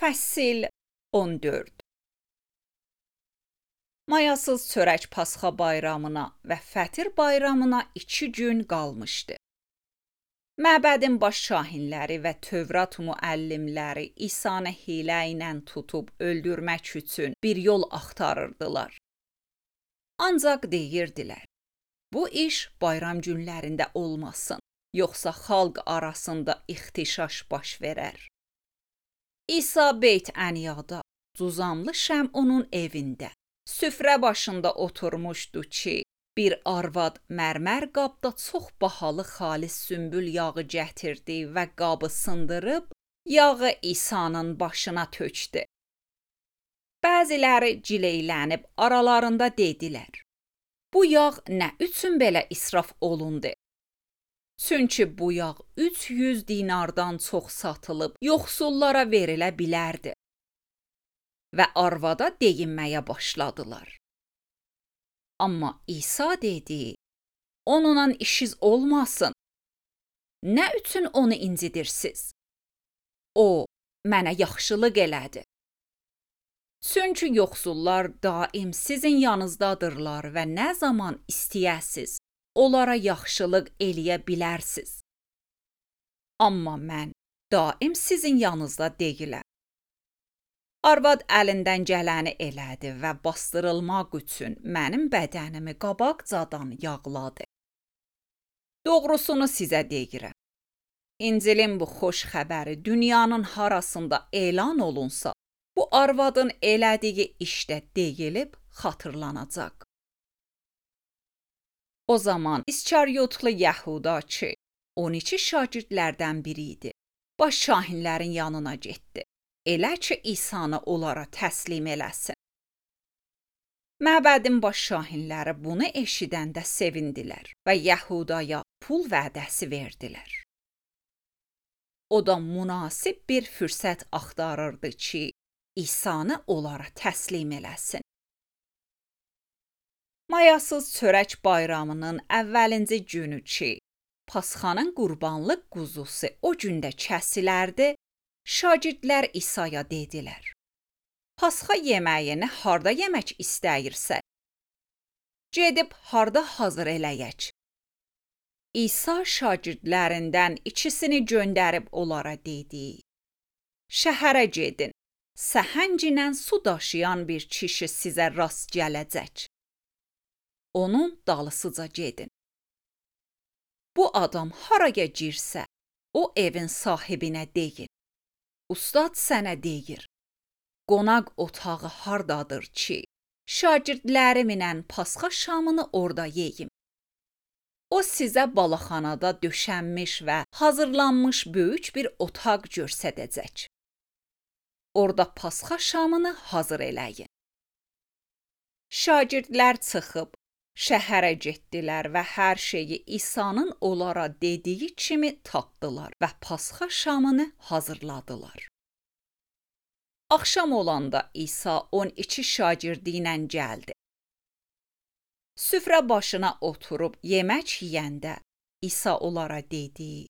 Fəsil 14. Mayasız çörək Pasxa bayramına və Fətir bayramına 2 gün qalmışdı. Məbədin baş şahinləri və Tövrat müəllimləri İsanı hiylə ilə tutub öldürmək üçün bir yol axtarırdılar. Ancaq deyirdilər, bu iş bayram günlərində olmasın, yoxsa xalq arasında ixtişaş baş verər. İsa Beyt Əniyada, Cuzamlı Şəmonun evində, süfrə başında oturmuşdu ki, bir arvad mərmər qabda çox bahalı xalis sümbül yağı gətirdi və qabı sındırıb, yağı İsa'nın başına tökdü. Bəziləri cileylənib aralarında dedilər, bu yağ nə üçün belə israf olundu? Çünki bu yağ 300 dinardan çox satılıb, yoxsullara verilə bilərdi. Və arvada deyinməyə başladılar. Amma İsa dedi, onunla işiniz olmasın. Nə üçün onu incidirsiniz? O, mənə yaxşılıq elədi. Çünki yoxsullar daim sizin yanınızdadırlar və nə zaman istəyəsiz, onlara yaxşılıq eləyə bilərsiniz. Amma mən daim sizin yanınızda deyiləm. Arvad əlindən gələni elədi və bastırılmaq üçün mənim bədənimi qabaqcadan yağladı. Doğrusunu sizə deyirəm. İncilin bu xoş xəbəri dünyanın harasında elan olunsa, bu arvadın elədiyi işdə deyilib xatırlanacaq. O zaman İskariyotlu Yəhuda ki, 12 şagirdlərdən biri idi, baş şahinlərin yanına getdi. Elə ki, İsa'nı onlara təslim eləsin. Məbədin baş şahinləri bunu eşidəndə sevindilər və Yəhudaya pul vədəsi verdilər. O da münasib bir fürsət axtarırdı ki, İsa'nı onlara təslim eləsin. Mayasız çörək bayramının əvvəlinci günü ki, Pasxanın qurbanlıq quzusu o gündə kəsilərdi, şagirdlər İsa'ya dedilər, Pasxa yeməyini harda yemək istəyirsən? Gedib harda hazır eləyək? İsa şagirdlərindən ikisini göndərib onlara dedi, şəhərə gedin, səhənglə su daşıyan bir kişi sizə rast gələcək. Onun dalısıca gedin. Bu adam haraya girsə, o evin sahibinə deyin. Ustad sənə deyir, qonaq otağı hardadır ki, şagirdlərimlə Pasxa şamını orada yeyim. O sizə balaxanada döşənmiş və hazırlanmış böyük bir otaq göstərəcək. Orada Pasxa şamını hazır eləyin. Şagirdlər çıxıb, şəhərə getdilər və hər şeyi İsa'nın onlara dediyi kimi tapdılar və Pasxa şamını hazırladılar. Axşam olanda İsa 12 şagirdi ilə gəldi. Süfrə başına oturub yemək yeyəndə İsa onlara dedi,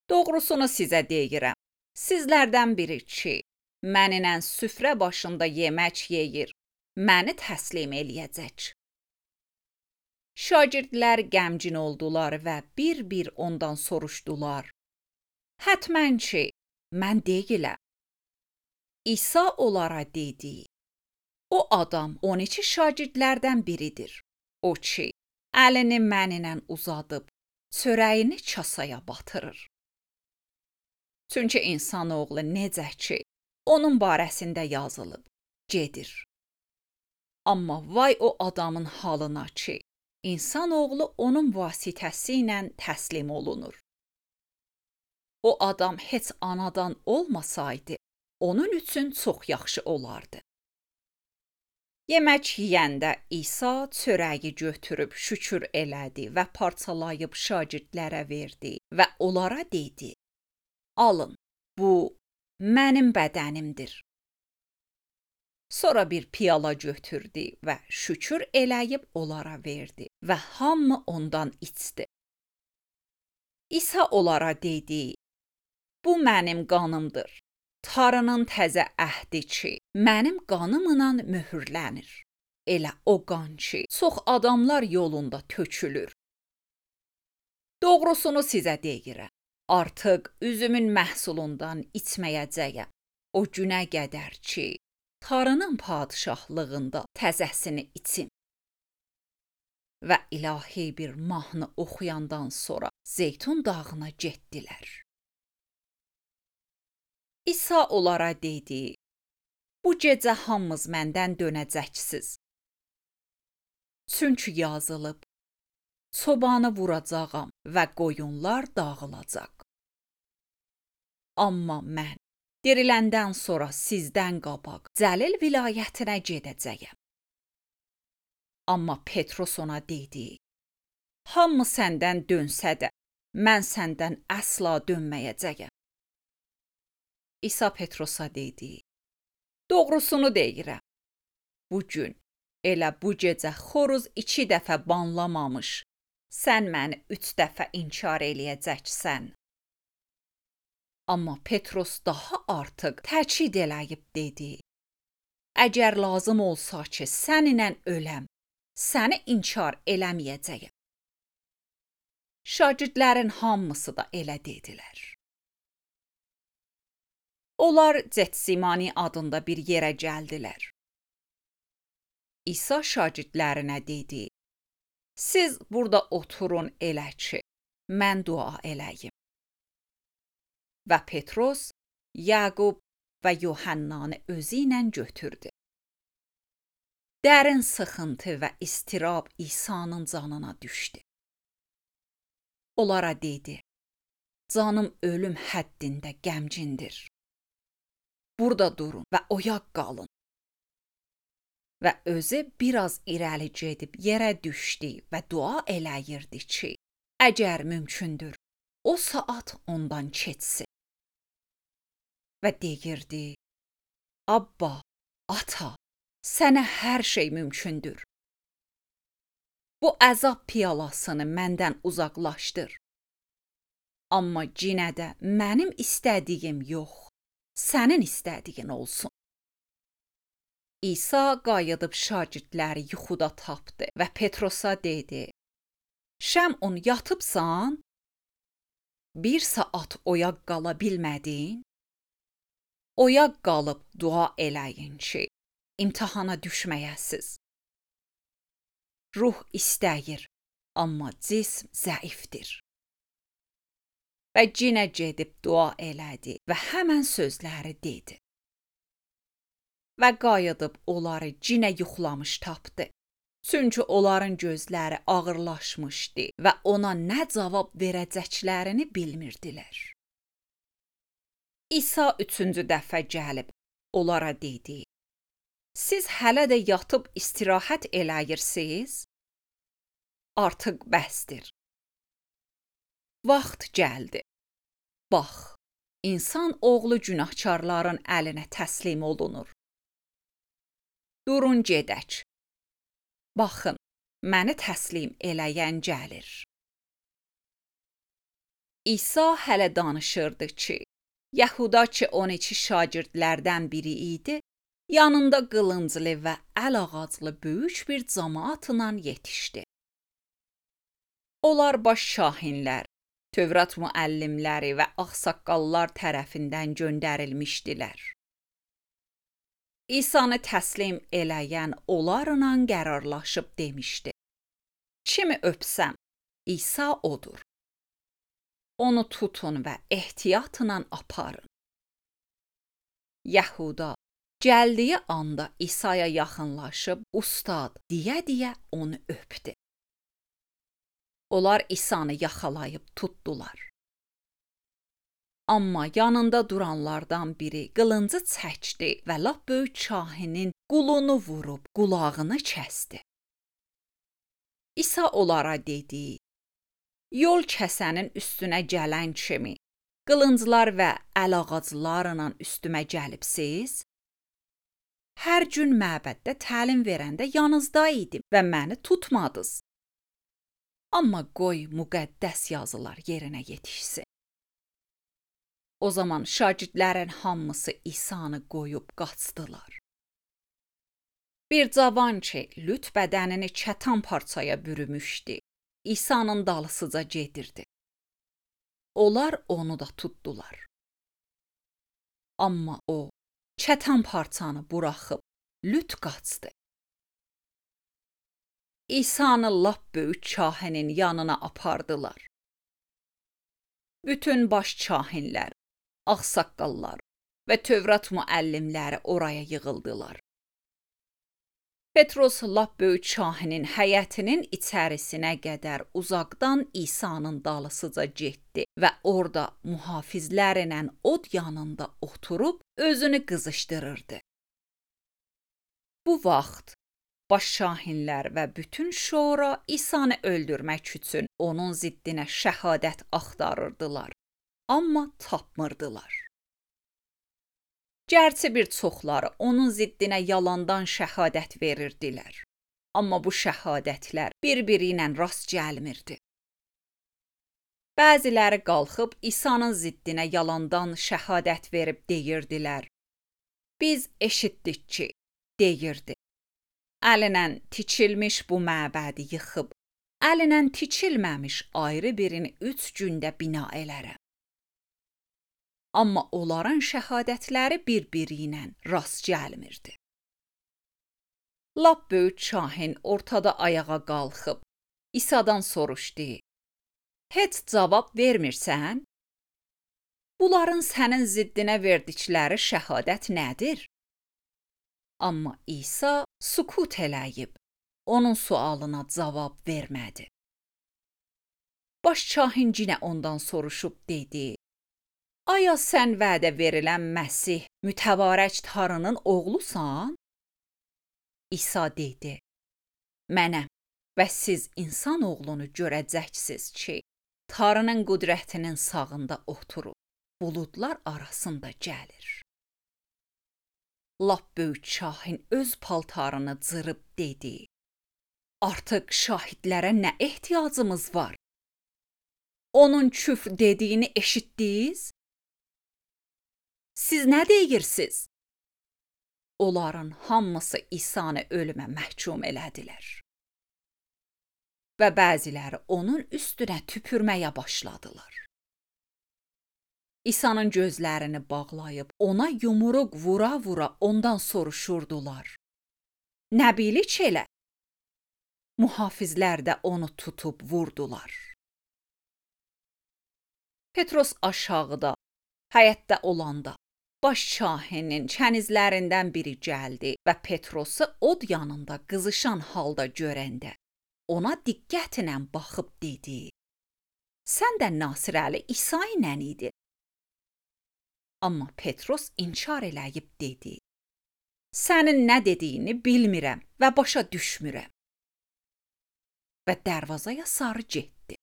doğrusunu sizə deyirəm, sizlərdən biri ki, mənimlə süfrə başında yemək yeyir, məni təslim eləyəcək. Şagirdlər qəmgin oldular və bir-bir ondan soruşdular. Hətmən ki, mən deyiləm. İsa onlara dedi, o adam 12 şagirdlərdən biridir. O ki, əlini mənimlə uzadıb, çörəyini kasaya batırır. Çünki insanoğlu necə ki, onun barəsində yazılıb, gedir. Amma vay o adamın halına ki, İnsanoğlu onun vasitəsi ilə təslim olunur. O adam heç anadan olmasaydı, onun üçün çox yaxşı olardı. Yemək yeyəndə İsa çörəyi götürüb şükür elədi və parçalayıb şagirdlərə verdi və onlara dedi, alın, bu mənim bədənimdir. Sonra bir piyala götürdü və şükür eləyib onlara verdi və hamı ondan içdi. İsa onlara dedi, bu mənim qanımdır. Tanrının təzə əhdi ki, mənim qanımla möhürlənir. Elə o qan ki, çox adamlar yolunda tökülür. Doğrusunu sizə deyirəm. Artıq üzümün məhsulundan içməyəcəyəm. O günə qədər ki, Tanrının padşahlığında təzəsini içim. Və ilahi bir mahnı oxuyandan sonra Zeytun dağına getdilər. İsa onlara dedi, bu gecə hamınız məndən dönəcəksiniz. Çünki yazılıb, çobanı vuracağam və qoyunlar dağılacaq. Amma mən diriləndən sonra sizdən qabaq Cəlil vilayətinə gedəcəyəm. Amma Petrus ona dedi, hamı səndən dönsə də, mən səndən əsla dönməyəcəyəm. İsa Petrusa dedi, doğrusunu deyirəm. Bugün, elə bu gecə xoruz 2 dəfə banlamamış, sən məni 3 dəfə inkar eləyəcəksən. Amma Petrus daha artıq təkid eləyib dedi, əgər lazım olsa ki, səninlə öləm, səni inkar eləməyəcəyəm. Şagirdlərin hamısı da elə dedilər. Onlar Getsimani adında bir yerə gəldilər. İsa şagirdlərinə dedi, siz burada oturun elə ki, mən dua eləyim. Və Petrus, Yaqub və Yuhannanı özü ilə götürdü. Dərin sıxıntı və istirab İsa'nın canına düşdü. Onlara dedi, canım ölüm həddində qəmcindir. Burada durun və oyaq qalın. Və özü biraz irəli gedib yerə düşdü və dua eləyirdi ki, əgər mümkündür, o saat ondan keçsin. Və deyirdi, Abba, Ata, sənə hər şey mümkündür. Bu əzab piyalasını məndən uzaqlaşdır. Amma yenə də mənim istədiyim yox, sənin istədiyin olsun. İsa qayıdıb şagirdləri yuxuda tapdı və Petrusa dedi, Şəmun yatıbsan? 1 saat oyaq qala bilmədin? Oyaq qalıb dua eləyin ki, imtahana düşməyəsiz. Ruh istəyir, amma cism zəifdir. Və yenə gedib dua elədi və həmən sözləri dedi. Və qayıdıb onları yenə yuxulamış tapdı. Çünki onların gözləri ağırlaşmışdı və ona nə cavab verəcəklərini bilmirdilər. İsa 3-cü dəfə gəlib onlara dedi, siz hələ də yatıb istirahət eləyirsiniz? Artıq bəsdir. Vaxt gəldi. Bax, insan oğlu günahkarların əlinə təslim olunur. Durun gedək. Baxın, məni təslim eləyən gəlir. İsa hələ danışırdı ki, Yahuda ki 12 şagirdlərdən biri idi, yanında qılınclı və əl ağaclı böyük bir cəmaatla yetişdi. Onlar baş şahinlər, Tövrat müəllimləri və ağsaqqallar tərəfindən göndərilmişdilər. İsa'nı təslim eləyən onlarla qərarlaşıb demişdi. Kimi öpsəm, İsa odur. Onu tutun və ehtiyatla aparın. Yahuda gəldiyi anda İsa'ya yaxınlaşıb, ustad deyə onu öpdü. Onlar İsa'nı yaxalayıb tutdular. Amma yanında duranlardan biri qılıncı çəkdi və lap böyük şahinin qulunu vurub qulağını kəsdi. İsa onlara dedi, yol kəsənin üstünə gələn kimi qılınclar və əl ağaclarla üstümə gəlibsiz? Hər gün məbəddə təlim verəndə yanınızda idim və məni tutmadınız. Amma qoy müqəddəs yazılar yerinə yetişsin. O zaman şagirdlərin hamısı İsanı qoyub qaçdılar. Bir cavan ki, lüt bədənini çətan parçaya bürümüşdü, İsa'nın dalısıca gedirdi. Onlar onu da tutdular. Amma o, çətan parçanı buraxıb, lüt qaçdı. İsa'nı lap böyük kahinin yanına apardılar. Bütün baş kahinlər, ağsaqqallar və Tövrat müəllimləri oraya yığıldılar. Petros lap böyük kahinin həyətinin içərisinə qədər uzaqdan İsa'nın dalısıca getdi və orada mühafizlərlə od yanında oturub özünü qızışdırırdı. Bu vaxt baş kahinlər və bütün şura İsa'nı öldürmək üçün onun ziddinə şəhadət axtarırdılar, amma tapmırdılar. Gərçi bir çoxları onun ziddinə yalandan şəhadət verirdilər, amma bu şəhadətlər bir-biri ilə rast gəlmirdi. Bəziləri qalxıb İsa'nın ziddinə yalandan şəhadət verib deyirdilər. Biz eşitdik ki, deyirdi. Əlinə tiçilmiş bu məbədi yıxıb, əlinə tiçilməmiş ayrı birini 3 gündə bina elərəm. Amma onların şəhadətləri bir-biri ilə rast gəlmirdi. Lap böyük kahin ortada ayağa qalxıb, İsa'dan soruşdu. Heç cavab vermirsən? Bunların sənin ziddinə verdikləri şəhadət nədir? Amma İsa sükut eləyib, onun sualına cavab vermədi. Baş kahin yenə ondan soruşub dedi. Aya sən vədə verilən Məsih, mütəbarək Tanrının oğlusan? İsa dedi, mənəm və siz insan oğlunu görəcəksiniz ki, Tanrının qüdrətinin sağında oturub, buludlar arasında gəlir. Lap böyük kahin öz paltarını cırıb dedi, artıq şahidlərə nə ehtiyacımız var? Onun küfr dediyini eşitdiniz? Siz nə deyirsiniz? Onların hamısı İsa'nı ölümə məhkum elədilər. Və bəziləri onun üstünə tüpürməyə başladılar. İsa'nın gözlərini bağlayıb ona yumruq vura-vura ondan soruşurdular. Nə bilik elə? Mühafizlər də onu tutub vurdular. Petros aşağıda, həyətdə olanda, baş kahinin kənizlərindən biri gəldi və Petrosu od yanında qızışan halda görəndə, ona diqqətlə baxıb dedi, sən də Nasirəli İsa ilə idin. Amma Petros inkar eləyib dedi, sənin nə dediyini bilmirəm və başa düşmürəm. Və dərvazaya sarı getdi.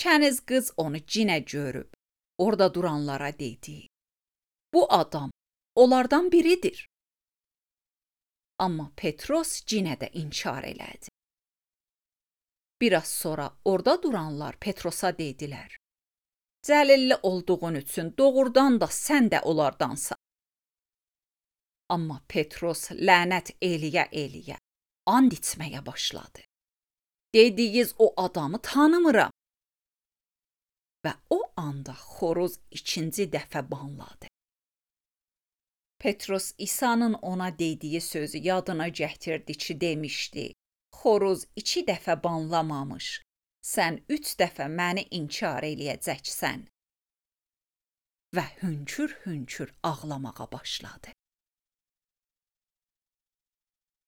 Kəniz qız onu cinə görüb, orada duranlara dedi, bu adam onlardan biridir. Amma Petros cinə də inkar elədi. Biraz sonra orada duranlar Petrosa dedilər, Cəlilli olduğun üçün doğrudan da sən də onlardansan. Amma Petros lənət eləyə-eləyə and içməyə başladı. Dediyiz o adamı tanımıram. Və o anda xoruz 2-ci dəfə banladı. Petros İsa'nın ona dediyi sözü yadına gətirdi ki, demişdi, xoruz 2 dəfə banlamamış, sən 3 dəfə məni inkar eləyəcəksən. Və hönkür-hönkür ağlamağa başladı.